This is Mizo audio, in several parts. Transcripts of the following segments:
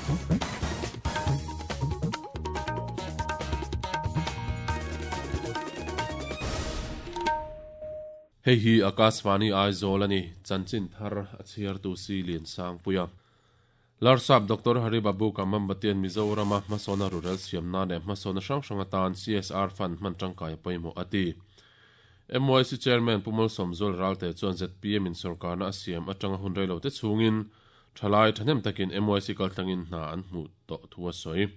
Hei hi Akashvani Aizawl a ni, chanchin thar a chhiartu si Liansangpuia. Larsap Doctor Hari Babu Kamambatian Mizorama hmasawna rurel siamna leh hmasawna hrang hrang atan CSR fund hman tangkai a pawimawh a ti. MYC Chairman Pu Malsawmzual Ralte chuan zpm in sawrkarna a siam atanga hun reilo te chhungin thalai thahnem takin MYC kaltlangin hna an hmuh tawh thu a sawi.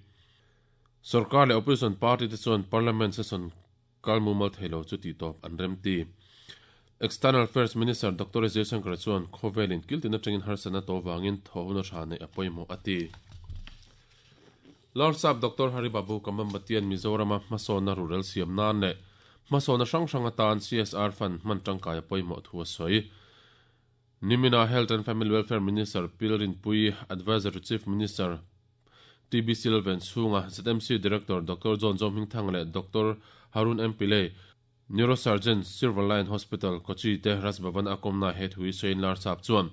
Sawrkar leh Opposition party te chuan Parliament session kal mumal thei lo chu tih tawp an rem ti. External Affairs Minister Doctor S Jaishankar chuan khawvel in kiltin atangin harsatna to vangin thawhhuna tha neih a pawimawh a ti. Larsap Doctor Hari Babu Kamambatian Mizorama hmasawnna rurel siam nan leh hmasawnna hrang hrang atan CSR fund hman tangkai a pawimawh thu a sawi. Nimina Health and Family Welfare Minister Pil Rinpui, Adviser to Chief Minister TB Silven chhunga ZMC Director Doctor John Zohmingthanga leh Doctor Harun M Pillay, Neurosurgeon, Silver Line Hospital, Kochi te Raj Bhavan a kawmna he thu hi sawiin Larsap chuan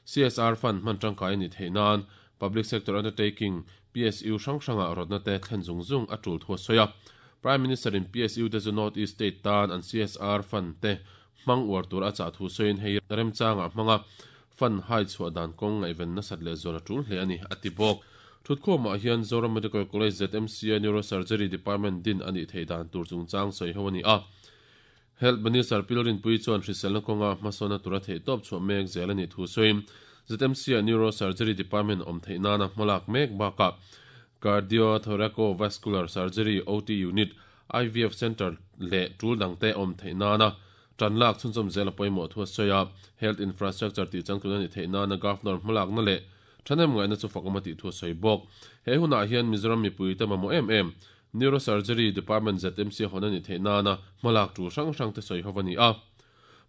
CSR fund hman tangkai a nih theih nan Public Sector Undertaking, PSU, hrang hrangah rawtna te thlen zung zung a tul thu a sawi a. Prime Minister in PSU te chu North East State tan an CSR fund te hmang uar tur a chah thu sawiin hei remchangah hmanga fund hai chhuah dan kawng ngaihven nasat leh zual a tul hle a ni, a ti bawk. Thutkhawmah hian Zoram Medical College ZMC-a Neurosurgery Department din a nih theih dan tur chungchang sawi ho a ni a. Health Minister Pil Rinpuii chuan hriselna kawnga hmasawnna tura theihtawp chhuah mek zel a nih thu sawiin ZMC-a Neurosurgery Department awm theih nana hmalak mek bakah Cardiothoraco-Vascular Surgery OT Unit IVF Centre leh tul dangte awm theih nana tan lak chhunchawm zel a pawimawh thu a sawi a, Health Infrastructure tih changtlun a nih theih nana Governor hmalakna leh thahnem ngaihna chu fakawm a tih thu a sawi bawk. He hunah hian Mizoram mipuite mamawh em em Neurosurgery Department ZMC hawn a nih theih nana hmalak tul hrang hrangte sawi ho a ni a.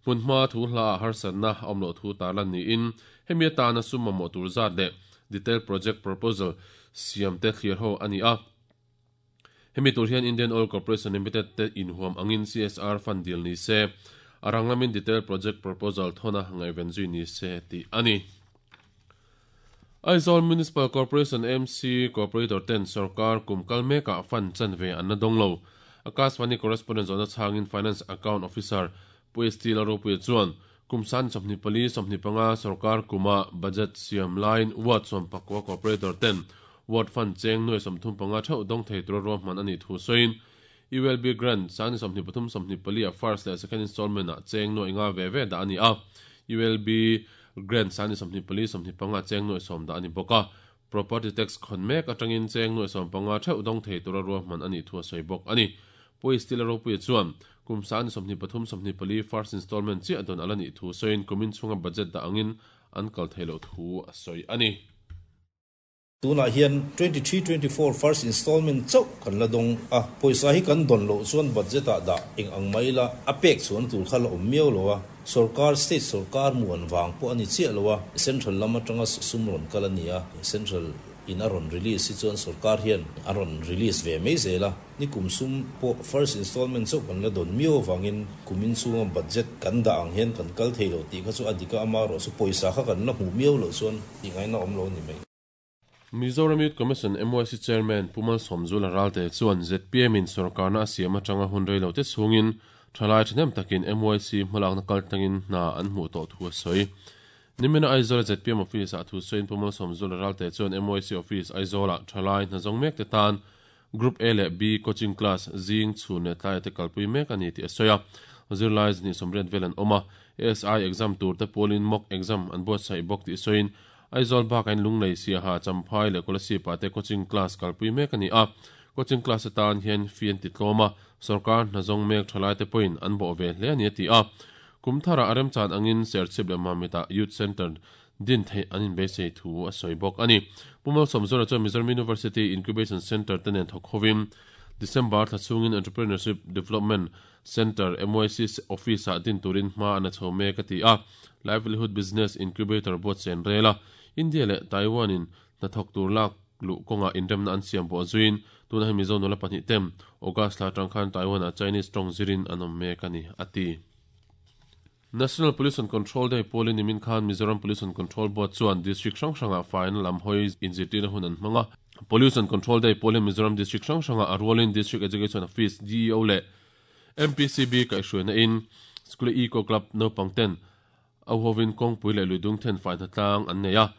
Hmunhma thu hlaah harsatna a awm loh thu tarlan niin hemi atana sum mamawh tur zat leh Detailed Project Proposal siamte thlir ho a ni a. Hemi tur hian Indian Oil Corporation Limited te inhuam angin CSR fund dil ni se, a rang lamin detailed project proposal thawna ngaihven zui ni se tih a ni. Aizawl Municipal Corporation, AMC, Corporator ten sorkar kum kal mekah fund chanve an la dawng lo. Akashvani Correspondent zawhna chhangin Finance Account Officer Pu ST Lalropuia chuan kum san 24, 25 sorkar kuma budget siam laiin ward sawmpakua corporator ten ward fund cheng nuai 35 theuh dawng thei tura ruahman a nih thu sawiin ULB grant sang ni 23, 24 ah first leh second installment ah cheng nuai nga ve ve dah a ni a, ULB grant sang ni 24, 25 ah cheng nuai sawm dah a ni bawk a, Property tax khawn mek atangin cheng nuai 15 theuh dawng thei tura ruahman a nih thu a sawi bawk a ni. Pu Stila Ropuia chuan kum sang ni 23, 24 first installment chiah dawn a la nih thu sawiin kumin chhunga budget dah angin an kal thei loh thu a sawi a ni. Tunah hian 23, 24 first installment chauh kan la dawng a, pawisa hi kan dawn loh chuan budget ah dah eng ang mai ila a pek chhuan tur kha la awm miau lo a, sorkar, state sorkar muan vang pawh a ni chiah lo a, central lam atanga sum rawn kal a ni a, central in a rawn release hi chuan sorkar hian a rawn release ve mai zel a. Ni kum sum pawh first installment chauh kan la dawn miau avangin kumin chhunga budget kan dah ang hian kan kal thei lo tih kha chu a dik a, amaherawh chu pawisa kha kan la hmuh miau loh chuan tih ngaihna awm lo a ni mai. Mizoram Youth Commission, MYC, Chairman Pu Malsawmzula Ralte chuan zpm in sawrkarna a siam atanga hun rei lo te chhungin thalai thahnem takin MYC hmalakna kaltlangin hna an hmuh tawh thu a sawi. Nimina Aizawl zpm Office ah thu sawiin Pu Malsawmzula Ralte chuan MYC Office Aizawlah thalai hna zawng mek te tan Group A leh B coaching class zing chhun leh tlaiah te kalpui mek a ni tih a sawi a. Zirlai znih sawmriat vel an awm a, ASI exam tur te pawlin mock exam an buatsaih bawk tih sawiin Aizawl bakain Lunglei, Siaha, Champhai leh Kolasib-ah te coaching class kalpui mek a ni a. Coaching class atan hian fee an ti tlawm a, sorkar hna zawng mek thalai te pawhin an bawh ve hle a ni a ti a. Kum tharah a remchan angin Serchhip leh Mamit-ah Youth Centre din theih an inbeisei thu a sawi bawk a ni. Pu Malsawmzawra chuan Mizoram University Incubation Centre te nen thawk hovin December thla chhungin Entrepreneurship Development Centre, MYC, Office-ah din turin hma an la chho mek a ti a. Livelihood Business Incubator buatsaih an rel a, India leh Taiwan-in hnathawk tur lak luh kawngah inremna an siam pawh zuiin tunah hian Mizo nula pahnih tem August thla atang khan Taiwan-ah Chinese tawng zirin an awm mek a ni, a ti. National Pollution Control Day pualin nimin khan Mizoram Pollution Control Board chuan District hrang hrangah faina lam hawi inzirtirna hun an hmang a. Pollution Control Day pualin Mizoram District hrang hrangah a rualin District Education Office, DEO, leh MPCB kaihhruaina in School Eco Club naupang ten a hovin kawngpui leh luidung then fai hnatlang an nei a,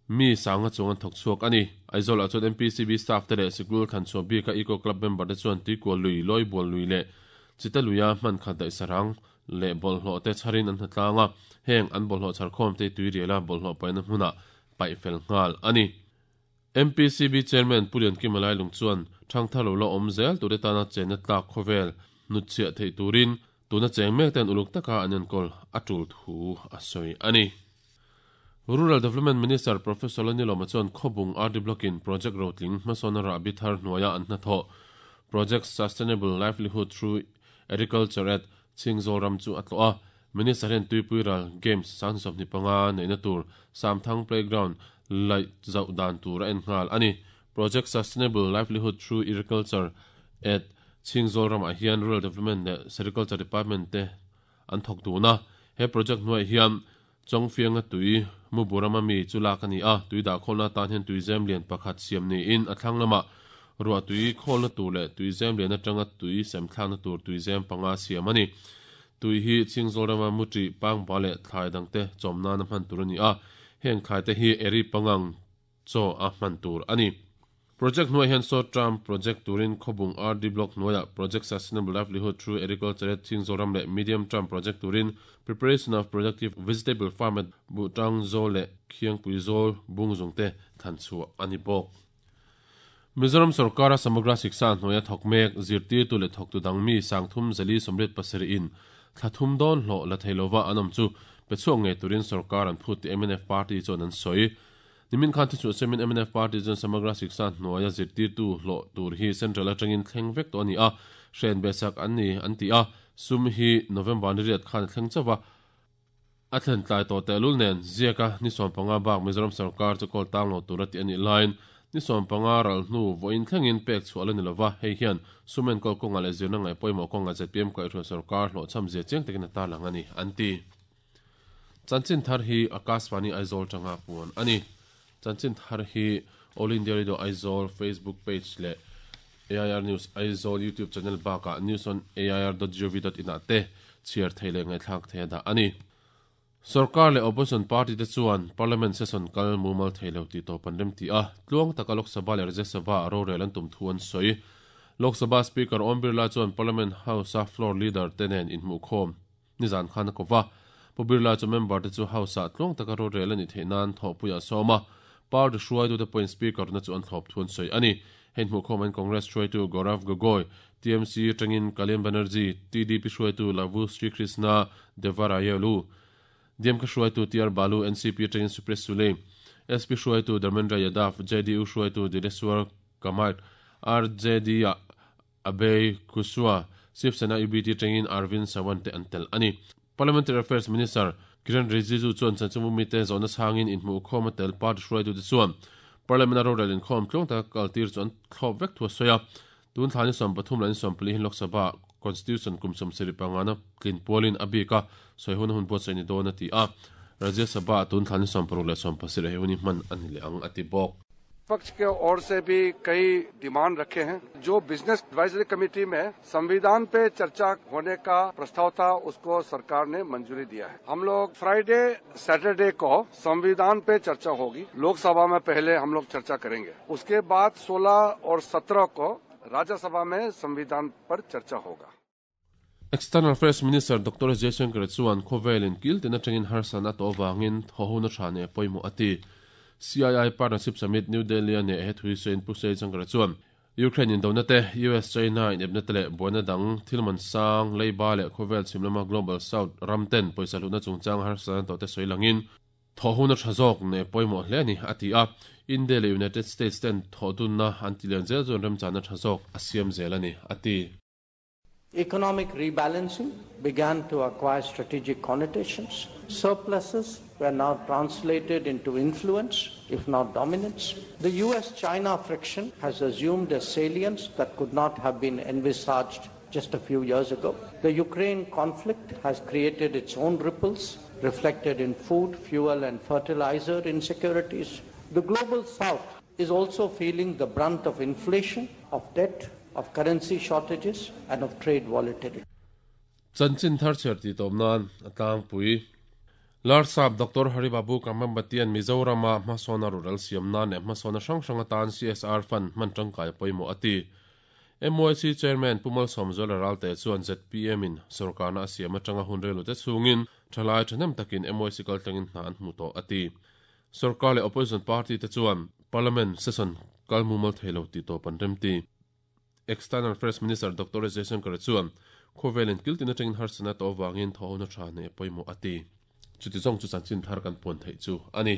mi sanga chuang an thawk chhuak a ni. Aizawl-ah chuan MPCB staff te leh sikul thlanchhuah bika Eco Club member te chuan tuikual lui, Lawibual lui leh Chita luia hman khat daih sarang leh bawlhhlawh te chharin an hnatlang a, heng an bawlhhlawh chhar khawm te tuiriala bawlhhlawh paihna hmunah paih fel nghal a ni. MPCB Chairman Pu Liankima Lailung chuan thangthar lo la awm zel tur te tana chenna tlak khawvel hnutchhiah theih turin tuna cheng mek ten uluk taka an enkawl a tul thu a sawi a ni. Rural Development Minister Professor Lalnilawma chuan Khawbung RD Block-in project rotling hmasawnna rahbi thar hnuaia an hnathawh Project Sustainable Livelihood Through Agriculture at Chhingzawl ram chu a tlawh a. Minister hian Tuipui ral Games 2025 neihna tur Samthang Playground laih zauh dan tur a en nghal a ni. Project Sustainable Livelihood Through Agriculture at Chhingzawl ramah hian Rural Development leh Sericulture Department te an thawk dun a. He project hnuaiah hian Chawngfianga tui Muburama mi chu lak a ni a, tui dah khawlna atan hian tuizem lian pakhat siam niin a thlang lamah ruah tui khawlna tur leh tuizem lian atanga tui sem thlakna tur tuizem panga siam a ni. Tui hi Chhingzawl rama Muṭih, Pangba leh thlai dangte chawm nana hman tur a ni a, heng thlaite hi Eri pangang chaw a hman tur a ni. Project hnuaiah hian short term project turin Khawbung RD Block hnuaiah Project Sustainable Livelihood Through Agriculture at Chhingzoram leh Medium term project turin Preparation of Productive Vegetable Farm at Buhtang Zawl leh Khiangpui Zawl Bungzung te thlan chhuah a ni bawk. Mizoram sorkara Samagra Shiksha hnuaia thawk mek zirtirtu leh thawktu dang mi sangthum zali 87 in thla thum dawn hlawh la thei lova an awm chu pe chhuak ngei turin sorkar an phut tih mnf party chuan an sawi. Nimin khan thuchhuah siamin mnf party chuan Samagra Shiksha hnuaia zirtirtu hlawh tur hi central atangin thleng vek tawh a ni a, hren be sak an ni an ti a, sum hi November ni riat khan a thleng chauh va, a thlen tlai tawh tehlul nen ziaka ni 15 bak Mizoram sorkar chu kawl tang lo tur a tih a nih laiin ni 15 ral hnu vawiin thlengin pek chhuah la ni lova, hei hian sum enkawl kawngah leh zirna ngaih pawimawh kawngah zpm kaihhruai sorkar hlawhchham zia chiang takin a tarlang a ni an ti. Chanchin thar hi Akashvani Aizawl tanga puan a ni. Chanchin thar hi All India Radio Aizawl Facebook page leh AIR News Aizawl YouTube channel bakah newsonair.gov.in ah te chhiar thei leh ngaihthlak thei a dah a ni. Sorkar leh Opposition party te chuan Parliament session kal mumal thei lo tih tawp an remti a, tluang taka Lok Sabha leh Rajya Sabha ah rorel an tum thu an sawi. Lok Sabha Speaker Om Birla chuan Parliament House-a floor leader te nen inhmuhkhawm Nizan khan a ko va, Pu Birla chu member te chu House ah tluang taka rorel a nih theih nan thawhpuiah a sawm a, party hruaitute pawhin Speaker na chu an thlawp thu an sawi a ni. Hei hmuhkhawm in Congress hruaitu Gaurav Gogoi, TMC atangin Kalyan Banerjee, TDP hruaitu Lavu Sri Krishna Devarayelu, DMK hruaitu TR Balu, NCP atangin Supriya Sule, SP hruaitu Dharmendra Yadav, JDU hruaitu Dileswar Kamath, RJD ah Abhay Kushwaha, Shiv Sena UBT atangin Arvind Sawant te an tel a ni. Parliamentary Affairs Minister Kiren Rijiju chuan chanchinbu mite zawhna chhangin inhmuhkhawm a tel party hruaitute chuan Parliament-a rorel inkhawm tluang taka kaltir chu an thlawp vek thu a sawi a. Tun thla ni 13 leh ni 14 hi Lok Sabha Constitution kum 75 ngana tlin pualin a bik a sawi hun a hun buatsaih ni dawn a ti a. Rajya Sabha-ah tun thla ni 16 leh 17 he hun hi hman a ni leh ang a ti bawk. विपक्ष के ओर से भी कई डिमांड रखे हैं जो business advisory committee में संविधान पे चर्चा होने का प्रस्ताव था उसको सरकार ने मंजूरी दिया है हम लोग फ्राइडे सैटरडे को संविधान पे चर्चा होगी लोकसभा में पहले हम लोग चर्चा करेंगे उसके बाद 16 और 17 को राज्यसभा में संविधान पर चर्चा होगा External Affairs Minister Doctor Jaishankar chuan khawvelin kil tin atangin harsatna tawh avangin thawhona tha neh pawimawh a ti. CII Partnership Summit New Delhi a neh he thui sawiin Pu Jaishankar chuan Ukraine indona te, US-China inepna te leh buaina dang thil man sang, leiba leh khawvel chhim lama Global South ram ten pawisa hlutna chungchang harsatna tawh te sawi langin thawhona tha zawk neh pawimawh hle a ni a ti a. India leh United States ten thawhdunna an ti lian zel chuan remchana tha zawk a siam zel a ni a ti. Economic rebalancing began to acquire strategic connotations. Surpluses were now translated into influence, if not dominance. The US-China friction has assumed a salience that could not have been envisaged just a few years ago. The Ukraine conflict has created its own ripples, reflected in food, fuel, and fertilizer insecurities. The global south is also feeling the brunt of inflation, of debt, of currency shortages, and of trade volatility. Chanchin thar chhiar tih tawp nan a tlangpui. Larsap Doctor Haribabu Kambambatian Mizorama hmasawna rural siam nan leh hmasawna hrang hrang atan CSR fund hman tangkai pawimawh a ti. MYC Chairman Pu Malsawmzuala Ralte chuan zpm in sorkarna a siam atanga hun reilute chhungin thalai thahnem takin MYC kaltlangin hna an hmu tawh a ti. Sorkar leh Opposition party te chuan Parliament session kal mumal thei lo tih tawp an remti. External Affairs Minister Doctor S Jaishankar chuan khawvelin kiltin atangin harsatna tawh avangin thawhona tha neih a pawimawh a ti. Chuti zawng chu chanchin thar kan puan theih chu a ni.